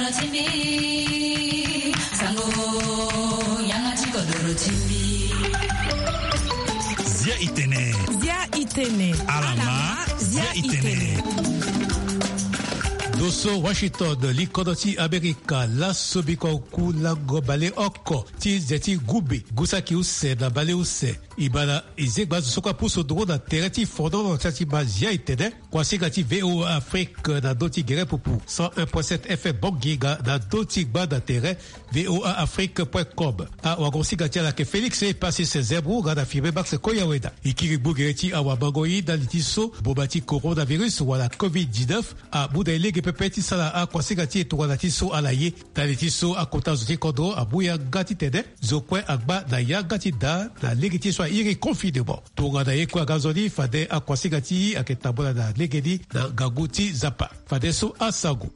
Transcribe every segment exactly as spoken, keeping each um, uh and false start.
Zia itene. Zia itene. Alama. Zia itene. Doso Washington, likodro ti Amerika, laso biko ku lango baleoko ti ze ti gumbe gusaki use na baleuse. E ma na e zengba azo so kue apusu nduru na tere ti fonono ti ati ma zia itene. Kuasinga ti VOA Afrique na ndö ti gere pupu cent un point sept F M Bongi nga na ndö ti gba na tere voa afrique point com. Awagosinga ti ala ayeke Félix Epasis Zembro nga na Firmin Max Koyaweda. E kiri gbu gere ti awamango-i ndali ti so boma ti coronavirus wala covid dix-neuf amu na e lege pepe ti sara akuasinga ti e tongana ti so ala ye. Ndali ti so akota zo ti kodro amu yanga titene zo kue agba na yanga ti daa na lege ti e so a iri confinement. Tongana ye kue aga nzoni fade akuasinga ti e ayeke tambula na legeni na ngangu ti Nzapa. Fadeso asango.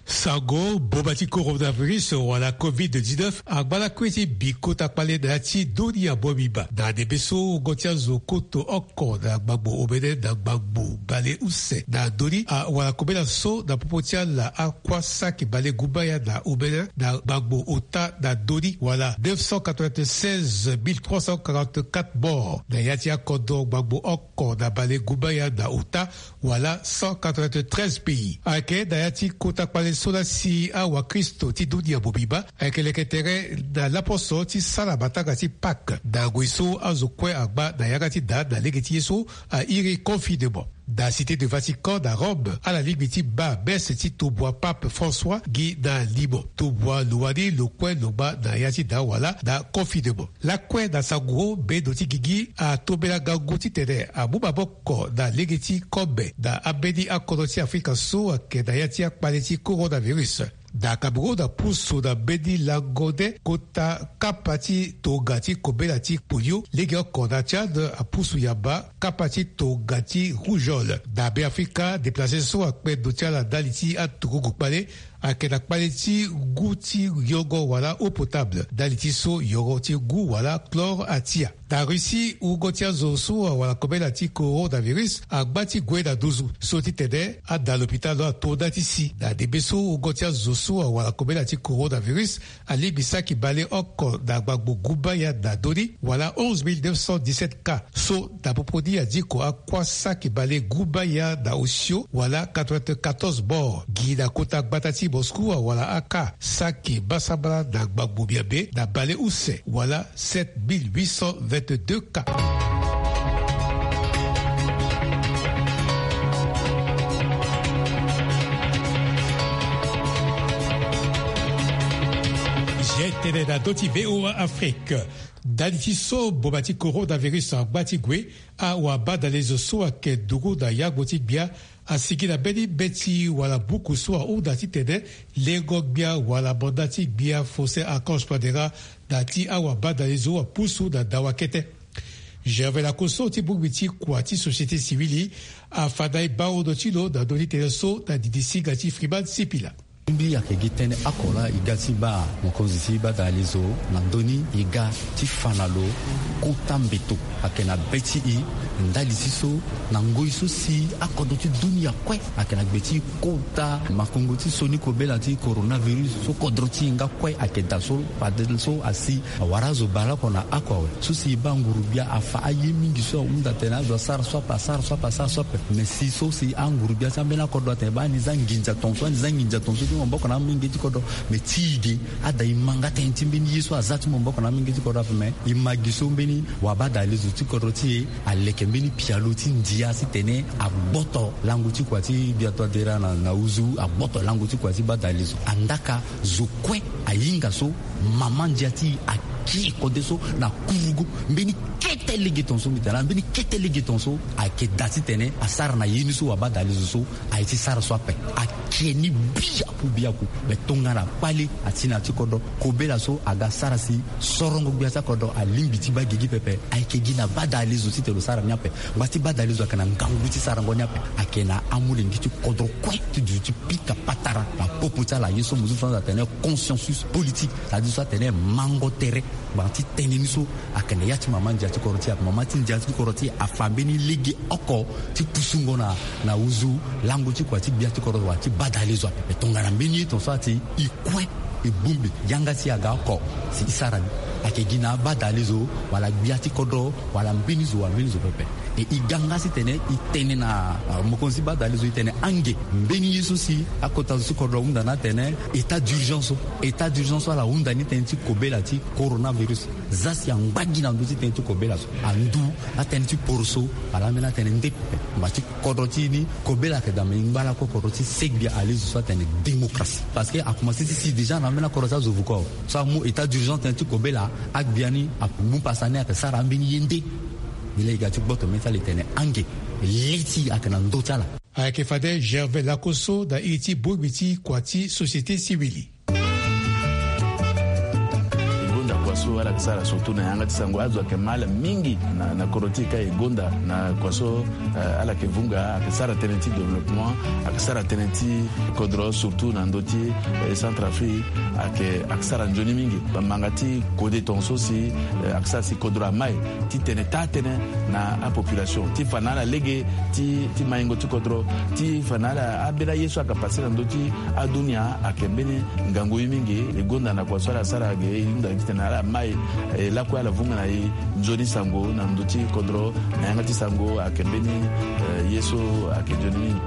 Sango, boma ti coronavirus wala covid dix-neuf angba lakue ti bi kota kpale na ya ti dunia mobimba. Na ndembe so wungo ti azo koto oko na gbangbo omene na gbangbo baleuse na ndö ni awara kobela so na popo ti ala akua saki balegumbaya na omene na gbangbo ota na ndö ni wala neuf cent quatre-vingt-seize mille trois cent quarante-quatre morts na ya ti akodro gbangbo oko na balegumbaya na ota wala cent quatre-vingt-treize pays. Ayeke na ya ti kota kpale so la si awakristo ti dunia mobimba ayeke leke tere na laposo ti sara matanga ti Pâques na ngoi so azo kue agba na yanga ti daa na lege ti ye so a iri confinement. Na Cité de Vatican na Rome ala lingbi ti baa messe ti tobua Pape François gi na limo tobua lo wani lo kue lo gba na ya ti daa wala na confinement. Lakue na sango, mbendo ti gigi atombela ngangu titene amu maboko na lege ti kobe na ambeni akodro ti Afrika so ayeke na ya ti akpale ti coronavirus. Na Cameroun apusu na mbeni lango nde kota kapa ti tonga ti kobela ti polio. Legeoko na Tchad apusu yamba kapa ti tonga ti rougeole. Na Beafrika, deplace so akpe ndo ti ala ndali ti aturugu kpale ayeke na kpale ti ngu ti yongo wala eau potable ndali ti so yoro ti ngu wala chlore atia. Na Russie, wungo ti azo so awara kobela ti coronavirus agba ti gue na nduzu so titene ada lopitalo ato nda ti si. Na ndembe so wungo ti azo so awara kobela ti coronavirus alingbi saki baleoko na gbangbo gumbaya na ndö ni wala onze mille neuf cent dix-sept cas. So na popo ni adiko akua saki balegumbaya na osio wala quatre-vingt-quatorze morts. Gi na kota gbata ti Moscou awara aka saki basambala na gbangbo miambe na baleuse wala sept mille huit cent vingt-deux cas. Zia itene na ndö ti VOA Afrique. Ndali ti so boma ti coronavirus agba ti gue, awabadalezo so ayeke duru na yango ti gbia asigi na mbeni mbeti wala buku so ahunda titene lengo gbia wala manda ti gbia Faustin Archange Touadéra na ti awabadalezo apusu na dawa kete. Gervais Lakosso ti bongbi ti kua ti société civile afa na e baondo ti lo na ndö ti tënë so na didi singa ti Freeman Sipila. Mbi ayeke gi tënë oko laa e ga ti baa mokonzi ti badalezo na ndö ni e ga ti fa na lo kota mbeto ayeke na be ti e ndali ti so na ngoi so si akodro ti dunia kue ayeke na gbe ti kota makongo ti sioni kobela ti coronavirus so kodro ti e nga kue ayeke daa so fade so asi awara azo baleoko na oko awe. So si e baa nguru-gbia afa aye mingi so ahunda atene azo asara so ape asara so ape asara so ape. Me si so si anguru-gbia ti ambeni akodro atene baa ni za nginza tonso ani za nginza tonso ti maboko na amolenge ti kodro. Me ti e ge ada e ma nga tënë ti mbeni ye so aza ti maboko na amolenge ti kodro ape me e ma gi so mbeni wabadalezo ti kodro ti e aleke mbeni pialo ti ndia titene agboto lango ti kua ti gbia Touadéra na, na uzu agboto lango ti kua ti badalezo. Andaka zo kue ahinga so mama ndia ti e akie kode so na kurugu mbeni kete lege tonso mbi tene na mbeni kete lege tonso ayeke daa titene asara na ye ni so wabadalezo so aye ti sara so ape. Ake ni biaku biaku. Me tongana kpale ati na ya ti kodro kobela so aga sara si sorongo gbia ti akodro alingbi ti baa gigi pepe. Ayeke gi na badalezo titene lo sara ni ape. Ngba ti badalezo ayeke na ngangu ti sarango ni ape. Ayeke na amolenge ti kodro kue ti duti pika patara na Kopo ti ala ye so mo zo so atene consciensus politique, c'est-à-dire so atene mango tere. Gbanga ti tënë ni so ayeke na ya ti mama ndia ti kodro ti e, ayeke mama ti ndia ti kodro ti e, afa mbeni lege oko ti pusungo na, na uzu lango ti kua ti gbia ti kodro wala ti badale zo ape. Tongana mbeni ye ton so ati e kue e bongbi yanga si aga oko si e sara ni, ayeke gi na abadale zo wala gbia ti kodro wala mbeni zo wala mbeni zo pepe. E, e ga nga si tene e tene na, ah, mokonzi badale zo e tene ange mbeni ye so si akota zo ti kodro ahunda ni atene état d'urgence so. État d'urgence so ala hunda ni tënë ti kobela ti coronavirus. Za si angba gi na ndö ti tënë ti kobela so, andu atënë ti poroso wala ambeni atënë nde pepe. Mba ti kodro ti e ni, kobela ayeke daa, me e ngba lakue kodro ti e, se gbia alezo so atene démocratie. Parce que akomanse ti si déjà na ambeni akodro ti azo vuko so amu état d'urgence tënë ti kobela, agbia ni amu pasa ni ayeke sara ambeni ye nde. E laa e ga ti gboto mbeni ti ala e tene ange le ti e ayeke na ndö ti ala. Ayeke fade Gervais Lakoso na iri ti bongbi ti kua ti société civile. E gonda kua so ala yeke sara surtout na yanga ti sango. Azo ayeke ma ala mingi na, na kodro ti e ka e gonda na kua so, eh, ala yeke vunga, ayeke sara tënë ti développement, ayeke sara tënë ti kodro surtout na ndö ti, eh, Centrafrique, ayeke, ayeke sara nzoni mingi. Bamanga ti kode tongaso si, eh, ayeke sara si kodro amai ti tene taa tënë na apopulation, ti fa na ala lege ti, ti maingo ti kodro, ti fa na ala ambeni aye so ayeke pase na ndö ti adunia ayeke mbeni ngangu ye mingi. E gonda na kua so ala sara ge, e hunda gi titene ala mai, e lakue ala vunga na e nzoni sango na ndö ti kodro, na yanga ti sango ayeke mbeni, eh, ye so ayeke nzoni mingi.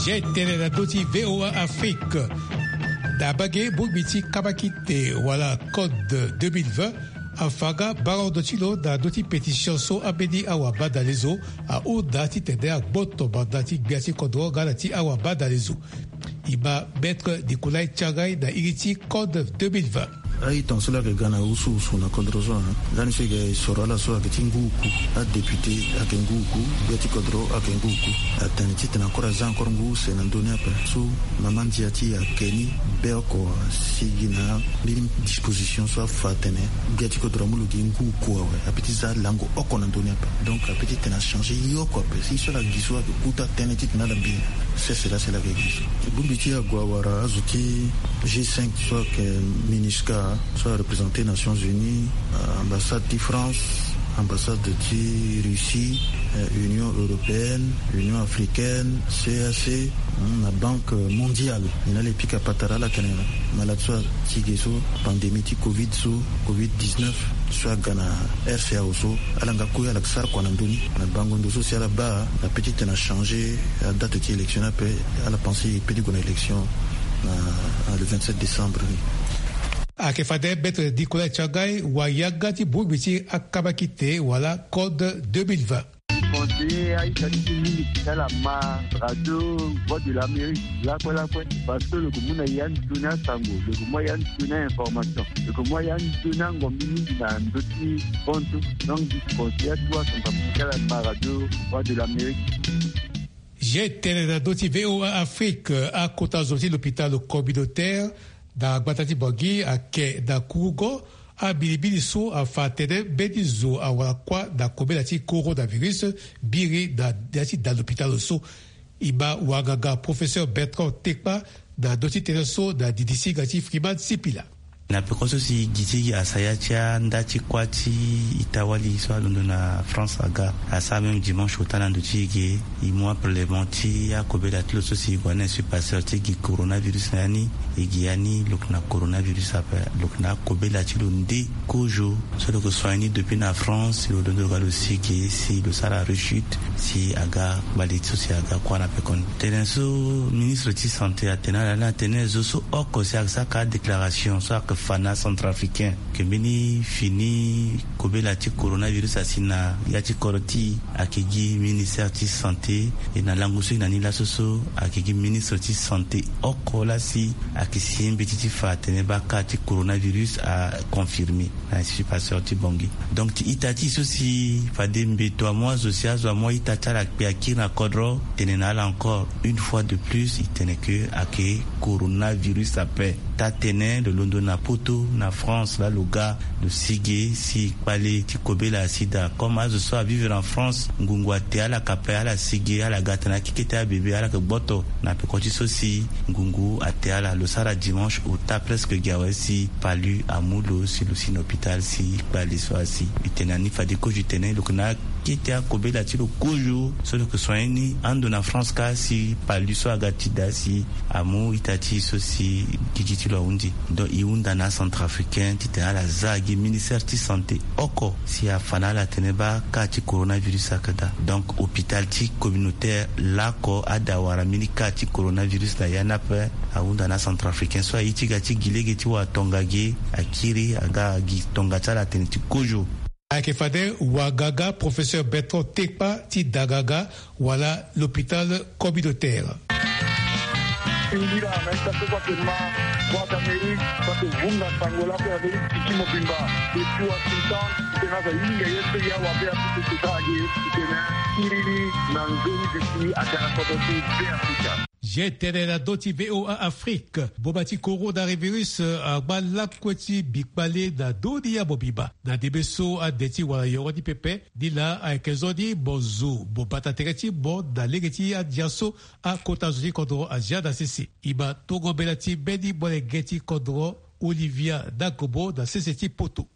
Zia e tene na ndö ti V O A Afrique. Na mbage bongbi ti kabakite wala code deux mille vingt, afa nga barondo ti lo na ndö ti pétition so ambeni awabadale zo ahunda titene agboto manda ti gbia ti kodro nga na ti awabadale zo. E ma Maître Nicolas Tiangai na iri ti code deux mille vingt. Aye tongaso laa ayeke ga na usu usu na kodro so, hein. Lani so e ga e soro ala so ayeke ti ngu oku, adéputé ayeke ngu oku, gbia ti kodro ayeke ngu oku. Atene titene encore aza encore ngu use na ndö ni ape. So mama ndia ti e ayeke ni be oko asigi na mbeni disposition so afa atene gbia ti kodro amu lo gi ngu oku awe, ape ti za lango oko na ndö ni ape. Donc ape ti tene achangé ye oko ape. Si so ala gi so ayeke kuta tënë titene ala mbi sese laa si ala yeke gi so. Bongbi ti e ague awara azo ti G cinq so ayeke MINUSCA, so areprésente Nations Unies, euh, ambassade ti France, ambassade ti Russie, euh, Union européenne, Union africaine, C A C, hmm, na Banque mondiale. Ni na ala e pika patara ala tene malade so ati ge so, pandémie ti covid so, covid dix-neuf so aga na R C A O so, ala nga kue ala yeke sara kua na ndö ni. Na bango ndo so si ala baa, na peut ti tene achangé adate ti élection ni ape, ala pensé e peut ti gue na élection na, na le vingt-sept décembre ni. Ayeke fade Maître Nicolas Tiangai, wayanga ti bongbi ti akabakite wala code deux mille vingt. Conseiller aita ti ti mingi ti ala ma radio Voix de l'Amérique lakue lakue, parce que lo yeke mu na ya ni toni asango, lo yeke mu ya ni toni ainformation, lo yeke mu ya ni toni angombi mingi na ndö ti bantu. Donc di conseiller atu asango ti ala ma radio Voix de l'Amérique. Zia e tene na ndö ti V O A Afrique, akota zo ti lopitalo communautaire na gbata ti Bangui ayeke na kurugo. Ambilimbili so afa atene mbeni zo awara kuâ na kobela ti coronavirus biri na ya ti da lopitalo so. E ma wanganga professeur Bertrand Tekpa na ndö ti tënë so na didi singa ti Freeman Sipila. Na peko so si gi ti gi asaya ti anda ti kuâ ti ita-wali so alondo na France aga, asara même dimanche ota na ndo ti e ge. E mu aprèlèvement ti akobela ti lo so si e gue na insu pasteur ti gi coronavirus na ya ni. E gi ya ni lo yeke na coronavirus ape, lo yeke na akobela ti lo nde kozo. So lo yeke soigner ni depuis na France, lo londo lo ga lo si ge si lo sara rechute si aga kpale ti so si aga kuâ na pekoni. Tënë so ministre ti santé atene ala ni atene zo so oko si ayeke sara ka déclaration so ayeke fa na acentrafricain ke mbeni fini kobela ti coronavirus asi na ya ti kodro ti e ayeke gi ministère ti santé. E na lango so e na ni laso so ayeke gi ministre ti santé oko laa si ayeke si mbeti ti fa atene baa ka ti coronavirus aconfirmé na institut Pasteur ti Bangui. Donc ti ita ti e so si fade mbeto amu azo si azo amu a-ita ti ala akpe akiri na kodro, tene na ala encore une fois de plus e tene ke ayeke coronavirus ape. Taa-tënë lo londo na poto na France laa lo ga lo si ge si kpale ti kobela asi daa. Comme azo so avivre en France ngungu ate ala kape, ala si ge, ala ga atene akeke ti abebe ala yeke gboto na peko ti so si ngungu ate ala. Lo sara dimanche ota presque gi awe si palu amu lo si lo si na hôpital si kpale so asi. E tene na ni fade kozo e tene lo yeke na akete akobela ti lo kozo so lo yeke soigner ni ando na France kâ si palu so aga ti daa si amu ita ti e so si gigi ti lo ahunzi. Donc e hunda na acentrafricain titene ala za gi ministère ti santé oko si afa na ala atene baa ka ti coronavirus ayeke daa. Donc hôpital ti communautaire laoko ada wara mbeni ka ti coronavirus na ya ni ape. Ahunda na acentrafricain so aye ti ga ti gi lege ti wara tonga ge akiri aga gi tonga ti ala atene ti kozo. Ayeke fade wagaga professeur Bertrand Tekpa ti Dagaga wala l'hôpital communautaire. Singira na ita so so ayeke ma Voix d'Amérique so ayeke vunga sango lape na mbeni tiki mobimba depuis Washington. Titene azo ahinga ye so ya wabe apupu kota age titene akiri ni na nzoni duti aga na kodro ti Beafrika. Ye tene na ndö ti V O A Afrique, boma ti coronavirus, eh, angba lakue ti bikpale na ndö ni ya mobimba. Na ndembe so ande ti wala yoro ni pepe, ni laa ayeke nzoni mo zo mo bata tere ti mo na lege ti andia so akota zo ti kodro azia na sese. E ma tongo mbela ti mbeni molenge ti kodro Olivia Dakobo na sese ti poto.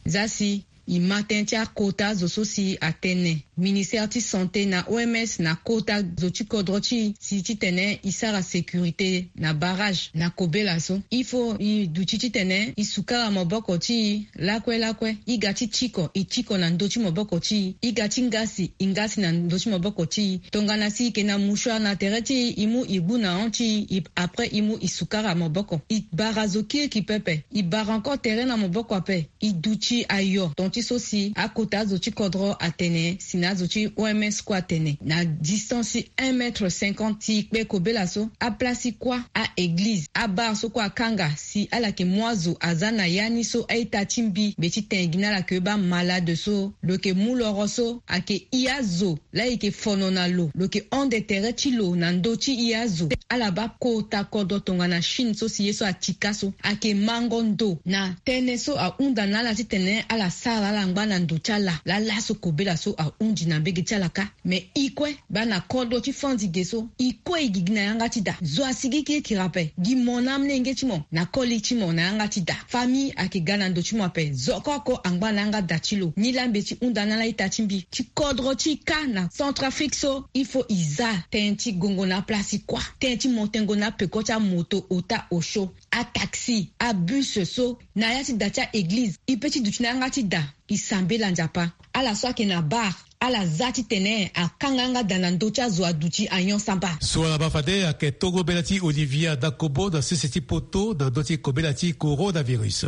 Za si e ma tënë ti akota zo so si atene ministère ti santé na O M S na kota zo ti kodro ti e si titene e sara sécurité na barrage na kobela so. Il faut e duti titene e sukara maboko ti e lakue lakue. E ga ti tiko, e tiko na ndö ti maboko ti e. E ga ti ngasi, e ngasi na ndö ti maboko ti e. Tongana si e yeke na mouchoir na tere ti e, e mu e gbu na hon ti e, e, après e mu e sukara maboko. E bara zo kirikiri pepe. E bara encore tere na maboko ape. E duti ayo tonga ti so si akota azo ti kodro atene si na azo ti O M S kue atene na distance ti un mètre cinquante si e kpe kobela so, aplace ti kuâ, a-église, abar so kue akanga si ala yeke mu azo aza na ya ni so a-ita ti mbi mbi ti tene gi na ala ke baa malade so lo yeke mu loro so ayeke i azo laa e yeke fono na lo, lo yeke hon de tere ti lo na ndö ti i azo. Ala baa kota kodro tongana Chine so si ye so atika so ayeke mango ndo na tënë so ahunda na ala titene ala sara ala ngba na ndo ti ala laa laso kobela so ahunzi na mbege ti ala kâ. Me e kue baa na kodro ti fandi ge so, e kue e gigi na yanga ti da. Zo asigi kirikiri ape. Gi mo na amolenge ti mo na koli ti mo na yanga ti da. Famille ayeke ga na ndo ti mo ape. Zo oko oko angba na yanga da ti lo. Nilaa mbi ti hunda na ala ita ti mbi ti kodro ti e kâ na Centrafrique so, il faut e za tënë ti gongo na aplace ti kuâ, tënë ti mo tengo na apeko ti amoto ota osio, ataxi, abus so, na ya ti da ti a-église. E pe ti duti na yanga ti da, e sambela Nzapa. Ala so ayeke na bar, ala za titene akanga yanga da na ndö ti azo aduti anyon samba. So ala baa fade ayeke tongo mbela ti Olivia Dakobo na sese ti poto na ndö ti kobela ti coronavirus.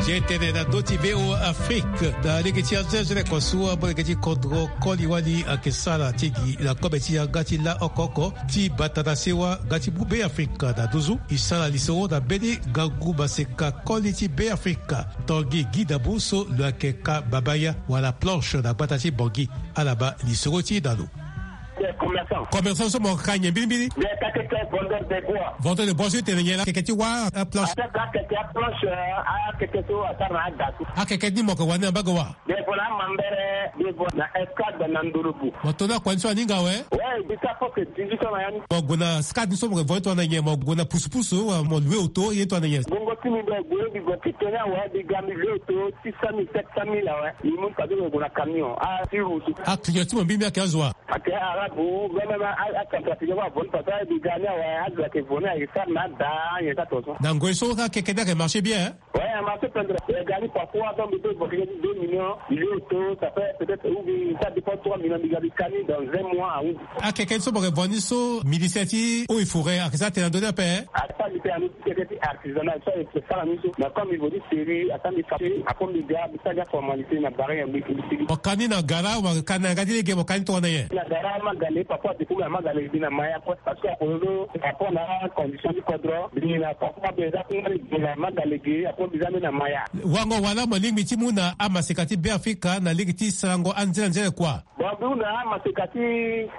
Ye tene na ndö ti V O A Afrique na lege ti azo ti azo ni kua so amolenge ti kodro koli wali ayeke sara ti gi na kobe ti yanga ti la oko oko ti bata na sewa nga ti mu Beafrika na nduzu. E sara lisoro na mbeni ngangu maseka koli ti Beafrika, Tanguy Guy Dambou so lo yeke ka babaya wala planche na gbata ti Bangui. Ala baa lisoro ti e na lo. Commerçant. Commerçant so mo ka nyen mbirimbiri? Mbi yeke akeke vendeur de bois. Vendeur de bois so e tene nyen laa? Akeke ti wâ, euh, planche. Akeke, akeke aplanche, euh, akeke so asara na ada so. Akeke ni mo yeke wani na mbage wâ? Mbi yeke Na mambere, be vo na escadre na Ndolobu. Mo to na kua ni so aninga awe? Ouais, bisa fo ke dix-huit ans na ya ni. Mo gue na escadre ni so mo ke vo ni tongana nyen? Mo gue na pusu-pusu, wa mo loue auto, ye tongana nyen? Bongo ti mi be gue, bi gue ti tene awe, bi ga mi loue auto, six cent mille, sept cent mille awe. Mi mu fade mo gue na camion. Ah, si wusu. Ah, client ti mo mbi mbi ayeke azo wa? Ayeke arabe, même a, a, acentrafricain, wa vo ni fade, bi ga ni awe, azo ayeke vo ni, ayeke sara na ada, nyen ka tonso. Na ngoi so, akeke ni ayeke marché bien, hein? Ouais, a marché pendere. E ga ni parfois, donc, mbi peut vo ni deux millions, mbi loue auto, ça fait peut-être, ou bien, ça dépend, trois millions, mbi ga mbi ka ni dans un mois, ah oui. Akeke ni so mo yeke vo ni so, ministère ti eaux et forêts ayeke sara tene na ndö ni ape, hein? Asara mbi tene na ndö ti keke ti artisanat, so ayeke sara ni so. Mais comme mbi vo ni sérieux, asara mbi fâché, après mbi ga, mbi sara ni aformalité na barrière, mbi, mbi sigi. Mo ka ni na gara, mo ka ni na yanga ti lege, mo ka ni tongana nyen? Na gara, Magale, parfois, depuis na Magale, mbi na Maya, quoi. Parce que akozo, par rapport na condition ti kodro, mbi na papa mbi eza kungba ni mbi na Magale ge, apo mbi za mbi na Maya. Wango wala mo lingbi ti mu na amaseka ti Beafrika na lege ti sarango anzere anzere kua? Bon, mbi hunda amaseka ti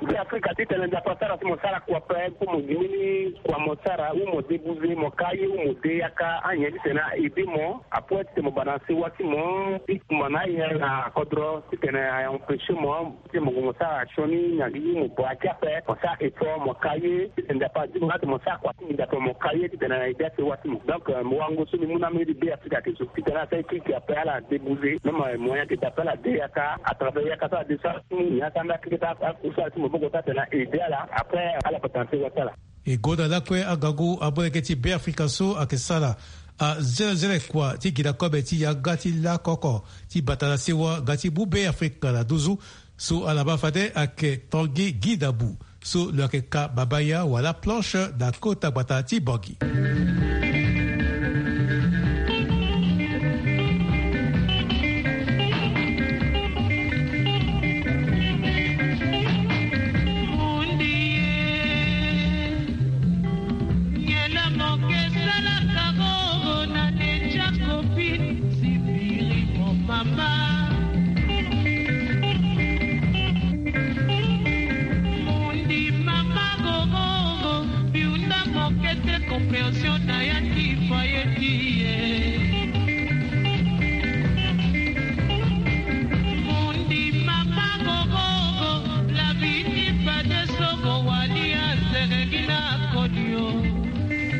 Beafrika titene Nzapa asara si mo sara kua ape, mpo mo gingini kua mo sara, ou mo débouze, mo ka ye, ou mo de yaka, anyen titene a aider mo, apo titene mo bana sewa ti mo, ti kumba na aye na kodro, titene a empêcher mo, ti mo gue mo sara sioni na gigi mo bua ti ape, mo sara effort, mo ka ye, titene Nzapa azi mo nga ti mo sara kua ti nginza ape, mo ka ye, titene na ede asewa ti mo. Donc, euh, mo wango so mbi mu na amolenge ti Beafrika ayeke so, titene asara ye kiki ape ala débouze, même, euh, moyen ayeke da ape ala de yaka, à travers yaka so ala de so ala ti mu, nyen asara mbi akeke ti a, a, akusala ti maboko so atene na ede ala, après, ala patara na sewa ti ala. E gonda lakue angangu amolenge ti Beafrika so ayeke sara anzenenzene kua ti gi na kobe ti yanga ti lakoko ti bata na sewa nga ti mu Beafrika na nduzu. So ala ma fade ayeke Tanguy Guy Dambou, so lo yeke ka mabaya wala planche na kota gbata ti Bangui. Nge na moke salaka gogo na deja kopine sipiri mo mama. Mondi mama gogogo, biunda moke te compréhension na ya ti foyer ti ye. Mondi mama gogogo, la vie ti fade so go wali azerengina kodio.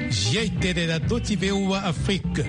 Zie tene na ndö ti V O A Afrique.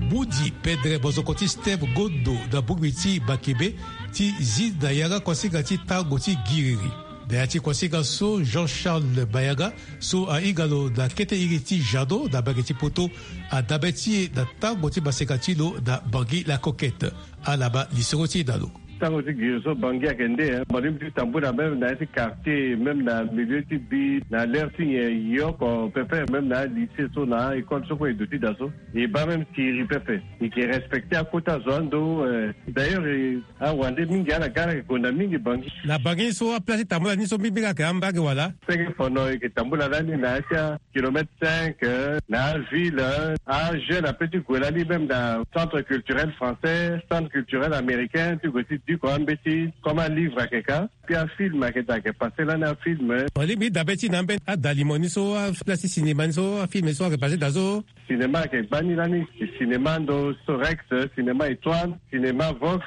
Budi pendere bozoko ti Steve Gondo na bongbi ti Bakebe ti zi na yanga kuasinga ti tango ti giriri. Na ya ti kuasinga so, Jean Charles Mayanga so ahinga lo na kete iri ti Jeannot na mbage ti Poto, adabe ti e na tango ti maseka ti lo na Bangui la Coquette. Ala ma lisoro ti e na lo. Tango ti giri so Bangui ayeke nde, eh, mo lingbi ti tambula même na ya ti quartier, même na milieu ti bi, na l'heure ti nyen e oko pepe, même na alycée so, na a-école so kue e duti daa so. E baa même siriri pepe. E yeke respecter akota zo ando, eh. D'ailleurs, eh, awande mingi, ala ga ala yeke gonda mingi Bangui. Na Bangui so aplace ti tambula ni so mbi, mbi ga ayeke ambage wala? Senge fono e yeke tambula lani na ya ti a kilomètre cinq, euh, na aville, euh, ajeune ape ti gue lani même na centre culturel français, centre culturel américain, ti gue ti duko ambeti, comme alivre ayeke ka. Puis afilm ayeke daa, ayeke passé lani afilm, eh. Mo lingbi ti dabe ti na ambeni ada limo ni so, aplace ti cinéma ni so, afilm so ayeke passé daa so? Cinéma ayeke gbani lani, cinéma ndo so Rex, cinéma Étoile, cinéma Vox,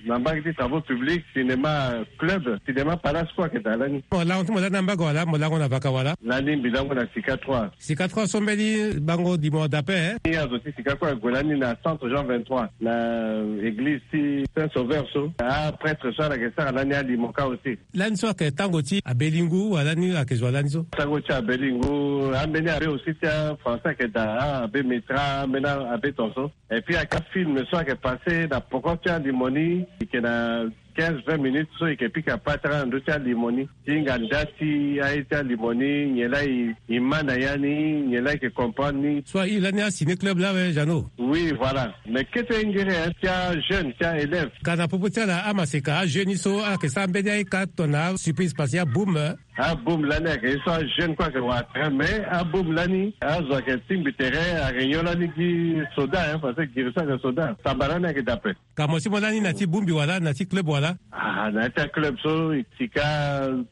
na mbage ti travaux publics, cinéma Club, cinéma Palace kue ayeke daa lani. Mo lango ti mo lani ambage wala mo lango na vaka wala? Lani mbi lango na Sika trois. Sika trois so mbeni bango dimo dape, eh? Ni azo ti Sika kue ague lani na centre Jean vingt-trois, na église ti Saint Sauveur so. Aprêtre so ala yeke sara lani alimo ka aussi. Lani so ayeke tango ti abbé Lingu, wala ni ayeke zo wa lani so? Tango ti abbé Lingu, ambeni abbé aussi ti afrançais ayeke daa, ah, abbé Métra, ambeni abbé tonso. Et puis ayeke afilm so ayeke passé na poko ti alimo ni, e yeke na quinze, vingt minutes so e yeke pika patara na ndö ti alimo ni. Ti hinga nda ti aye ti alimo ni, nyen laa e, e ma na ya ni, nyen laa e yeke comprendre ni. So airi lani aciné club laa awe, Jeannot? Oui, voilà. Mais kete ngere, hein, ti ajeune, ti aélève. Ka na popo ti ala amaseka ajeune ni so ayeke sara mbeni aye ka tongana asurprise parce que aboum, hein. Aboum lani ayeke ye so ajeune kue ayeke wara terrain, mais aboum lani azo ayeke tingbi tere, aréunion lani gi soda, hein, parce que giri so ayeke soda. Samba lani ayeke daa ape. Ka mo si mo lani na ti boumbi wala na ti club wala? Ah, na ya ti aclub so, e sika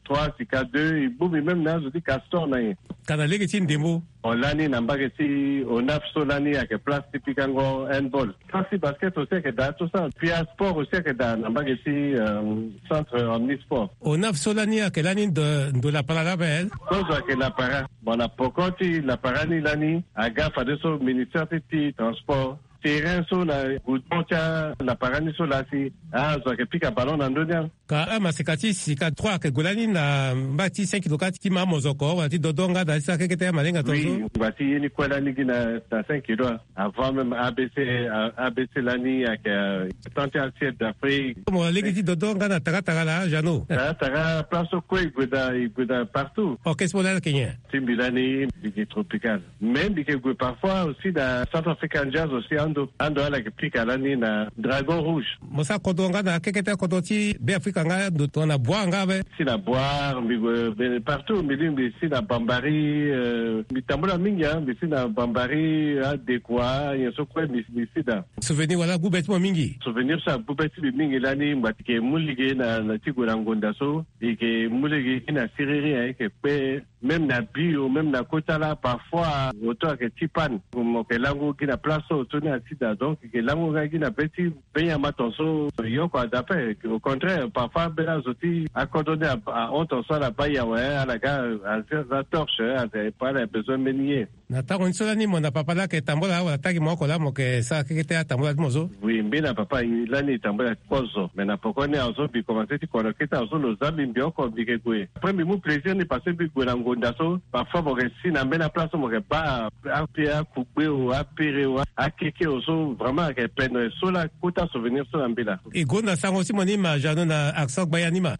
trois, sika deux, e bongbi même na azo ti Castor na nyen. Ka na lege ti ndembo. O lani na mbage ti Onaf so lani ayeke place ti pikango handball. Place ti basket aussi ayeke daa tout ça. Puis asport aussi ayeke daa na mbage ti, euh, centre omnisport. Onaf so lani ayeke lani ndo, ndo lapara laa ape. Kozo ayeke lapara. Bon, na poko ti lapara ni lani aga fadeso ministère ti, ti transport. Terrain so na goudron ti alapara ni so laa si azo ayeke pika ballon na ndö ni. Ka amaseka ti sika trois ayeke gue lani na mbage ti cinq kilo ka ti ma mozoko wala ti dodo nga daa ti sara kekete amalenga tongaso. Oui, ngba ti ye ni kue lani gi na, na cinq kilo. Avant même A B C, euh, A B C lani ayeke, euh, tant ti assiette d'Afrique. Mo lege ti dodo nga na taratara laa, Jeannot. Taratara place so kue e gue daa, e gue daa partout. Orchestre mo laa ayeke nyen? Ti mbi lani mbi gi Tropical. Mais mbi yeke gue parfois aussi na Centrafrican Jazz aussi ando. Ando ala yeke pika lani na Dragon Rouge. Mo sara kodro nga na kekete kodro ti Beafrika nga ndo tongana Boar nga ape? Si na Boar, mbi gue, mbi partout, mbi lingbi si na Bambari, euh, mbi tambula mingi, hein, mbi si na Bambari, Adekua, nyen so kue mbi, mbi si daa. Souvenir wala ague be ti mo mingi? Souvenir so ague be ti mbi mingi lani, mbi yeke mu lege na, na ti gue na ngonda so, mbi yeke mu lege na siriri, hein, e yeke kpe. Même na bio, même na kota laa, parfois, auto ayeke ti panne. Mo yeke lango gi na place so auto ni asi daa. Donc, e yeke lango nga gi na be ti be nyama tongaso, e yeke oko ada ape. Au contraire, parfois, ambeni azo ti akodro ni a, ahon tongaso ala baa ye awe, ala ga aza torche, aza, ala besoin mbeni ye. Na tango ni so lani mo na papa laa ayeke tambula wala atagi mo oko laa mo yeke sara kekete atambula ti mo so? Oui, mbi na papa lani e tambula kozo. Mais na poko ni azo mbi komanse ti kono kete azo lo za mbi, mbi oko mbi yeke gue. Après mbi mu plaisir ni parce que mbi gue na ngonda so. Parfois mo yeke si na mbeni aplace so mo yeke baa ape akugbe o, apere o, akeke o so vraiment ayeke peine so laa kota souvenir so na mbi laa. E gonda sango ti mo ni ma Jeannot na accent gbaya ni ma.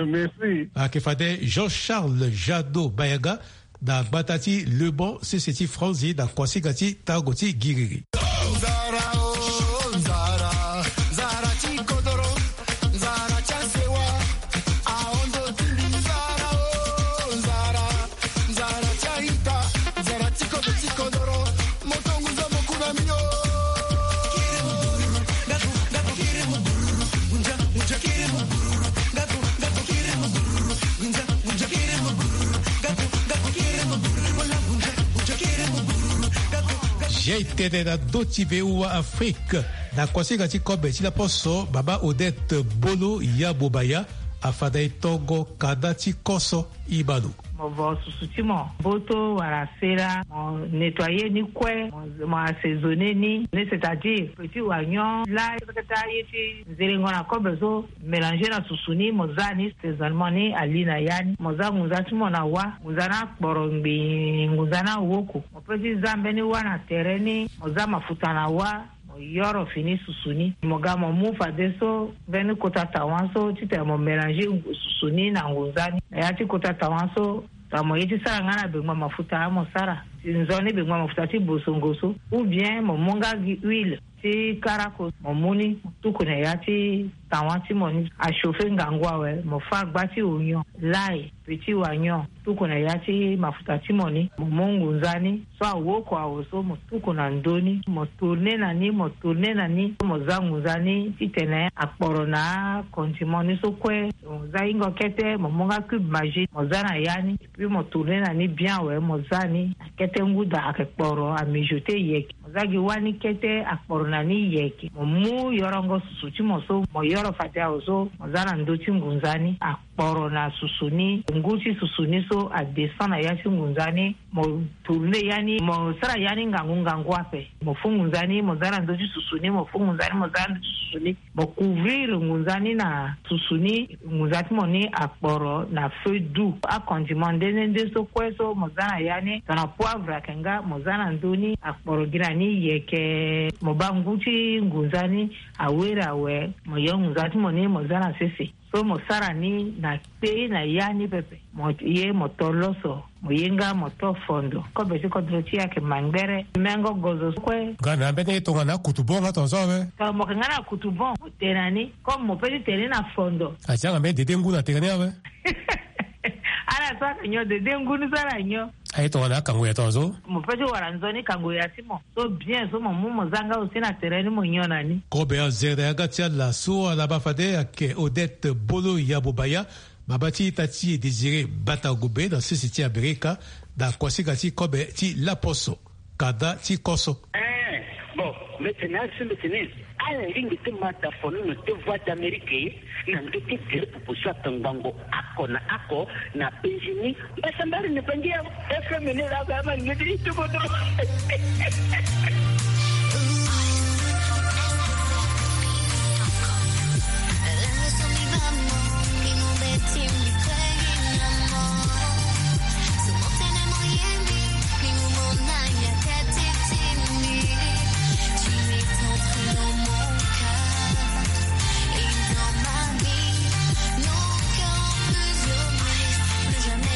Merci. Ayeke fade Jean-Charles Jadot Bayaga, na gbata ti Leban, sese ti Franzi, na kuasinga ti tango ti giriri. Zia e tene na ndö ti V O A Afrique, na kuasinga ti kobe ti laposo, mama Odette Bolo ya Bobaya afanda e tongo kanda ti koso. Ibalo. Mo vo susu ti mo, mboto wala sela, mo nettoyer ni kue, mo, mo assaisonner ni, c'est-à-dire petit oignon, l'ail, kata ye ti nzelengo na kobe so, mélanger na susu ni, mo za ni, assaisonnement ni ali na ya ni. Mo za ngunza ti mo na wâ, ngunza ni akporo ngbii, ngunza ni awoko. Mo peut ti za mbeni wâ na tere ni, mo za mafuta na wâ, mo yoro fini susu ni. Mo ga mo mu fadeso mbeni kota tawa so titene mo mélanger susu ni na ngunza ni. Na ya ti kota tawa so, tongana mo ye ti sara nga na bengba mafuta, mo sara ti nzoni bengba mafuta ti bosongo so, ou bien mo mu nga gi huile ti karako, mo mu ni, mo tuku na ya ti tawa ti mo ni, achauffer ngangu awe, mo fâ gba ti oignon, l'ail, petit oignon, tuku na ya ti mafuta ti mo ni, mo mu ngunza ni so awoko awe so, mo tuku na ndö ni, mo tourner na ni, mo tourner na ni, mo za ngunza ni titene akporo na acondiment ni so kue. Mo za hingo kete, mo mu nga cube Maggi, mo za na ya ni, et puis mo tourner na ni bien awe, mo za ni, na kete ngu daa ayeke kporo, amijoter yeke. Mo za gi wâ ni kete, akporo na ni yeke. Mo mu yorongo susu ti mo so, mo yoro fade awe so, mo za na ndö ti ngunza ni, akporo na susu ni, ngu ti susu ni so adescend na ya ti ngunza ni, mo tourner ya ni, mo sara ya ni ngangu ngangu ape. Mo fû ngunza ni, mo za na ndö ti susu ni, mo fû ngunza ni, mo za na ndö ti susu ni. Mo couvrir ngunza ni na susu ni, ngunza ti mo ni akporo na feu doux. Acondiment nde nde nde so kue so mo za na ya ni, tongana poivre ayeke nga, mo za na ndö ni, akporo gi na ni yeke. Mo baa ngu ti ngunza ni awere awe, mo yo ngunza ti mo ni, mo za na sese. So mo sara ni na kpei na ya ni pepe. Mo ye mo to loso, mo ye nga mo to fondo. Kobe ti kodro ti e ayeke mangbere. Mengo gozo kue. Nga na mbeni ye tongana akutubon nga tongaso awe. Tongana mo yeke nga na kutubon, mo tene na ni. Comme mo peut ti tene ni na fondo. Atianga mbeni dede ngu na tene ni awe. Ala Asara nyon de, de ngunu sara nyon. Aye tongana akango ya tongaso. Mo pe ti wara nzoni kango ya ti mo. So bien, so mo mu mo za nga aussi na tere ni mo nyon na ni. Kobe azere na yanga ti ala so ala baa fade ayeke Odette Bolo ya Bobaya, mama ti ita ti e Désiré Bata Gobe na sese ti Amerika, na kuasinga ti kobe ti laposo. Kanda ti koso. Eh, bon, mbeti na asu mbeti ni. Ala lingbi ti ma da fonono ti Voix d'Amérique na ndö ti gere pupu so atongbango oko na oko na Benjini. Mbasambari ni bangi ya F M ni la ba ma ngeti ti kodro.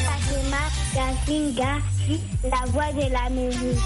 Fatima Gasinga, la voix de l'Amérique.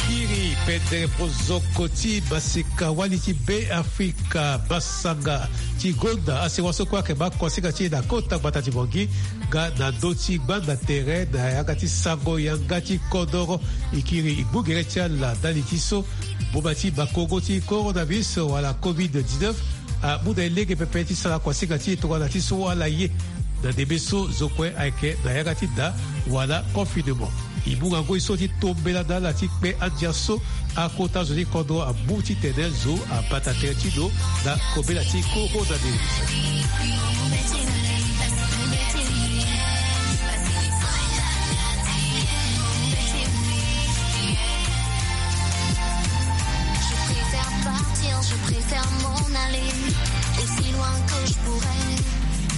Kiri pendere pozoko ti maseka wali ti Be Afrika, masanga ti gonda asewa so kue ayeke baa kuasinga ti e na kota gbata ti Bangui. Nga na ndö ti gbanda tere na yanga ti sango yanga ti kodoro, e kiri e gbu gere ti ala ndali ti so boma ti bakongo ti coronavirus wala covid dix-neuf amu na e lege pepe ti sara kuasinga ti e tongana ti so ala ye na ndembe so zo kue ayeke na yanga ti da wala confinement. E mu ngangu e so ti tombela na ala ti kpe andia so akota zo ti kodro amu titene zo abata tere ti lo na kobela ti coronavirus. Je préfère partir, je préfère m'en aller aussi loin que je pourrais.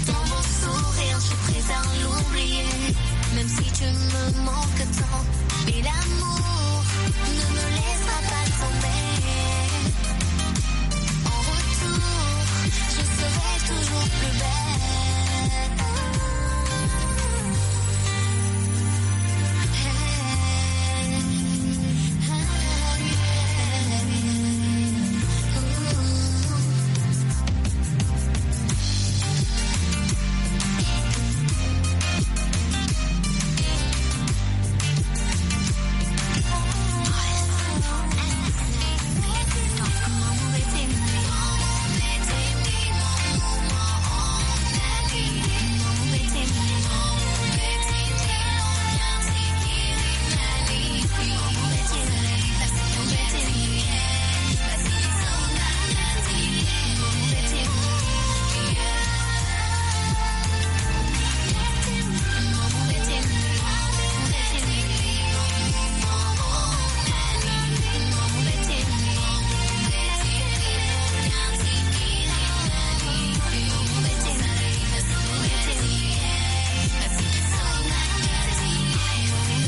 Dans mon sourire, je préfère l'oublier. Même si tu me manques tant, mais l'amour ne me laissera pas tomber. En retour, je serai toujours plus belle.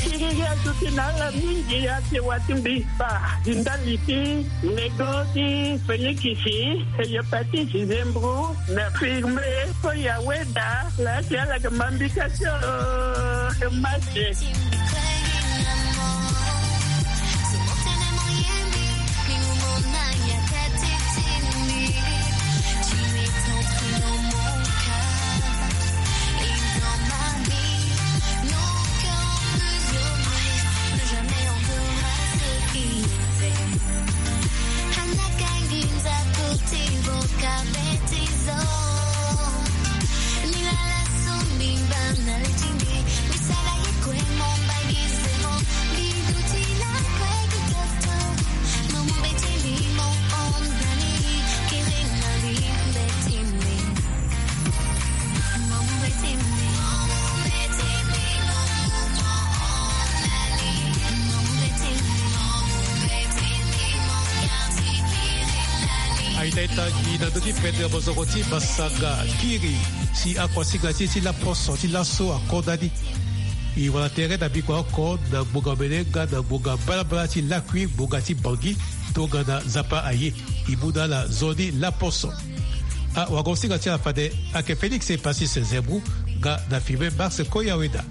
Kiriri aduti na ala mingi ate wati mbi fa di ndali ti nego ti fenikisi, hepatite, zembro na firme. Ko ya weda la ti ala ke mambika ti mase. Etangi na ndö ti pete mozoko ti masanga kiri si akuasinga ti e ti laposo ti laso akonda ni. E wara tere na bikua oko na ngbonga mene nga na ngbonga mbalambala ti lakui ngbonga ti bangi. Tongana Nzapa aye, e mu na ala nzoni laposo. Awagosinga ti ala fade ayeke Félix Epasis Zembrou nga na filme Max Koyaweda.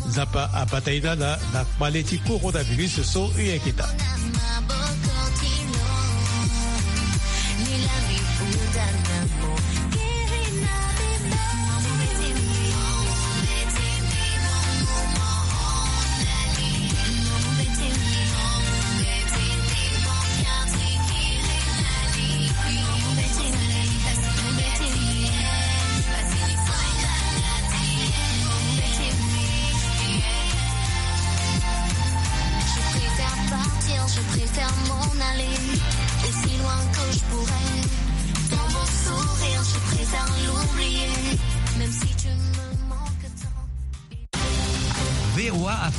Nzapa abata e na ala na kpale ti coronavirus so e yeke daa. Je préfère partir, je préfère m'en aller, aussi loin que je pourrais. Dans mon sourire, je préfère l'oublier, même si tu me manques tant. V O A Afrique.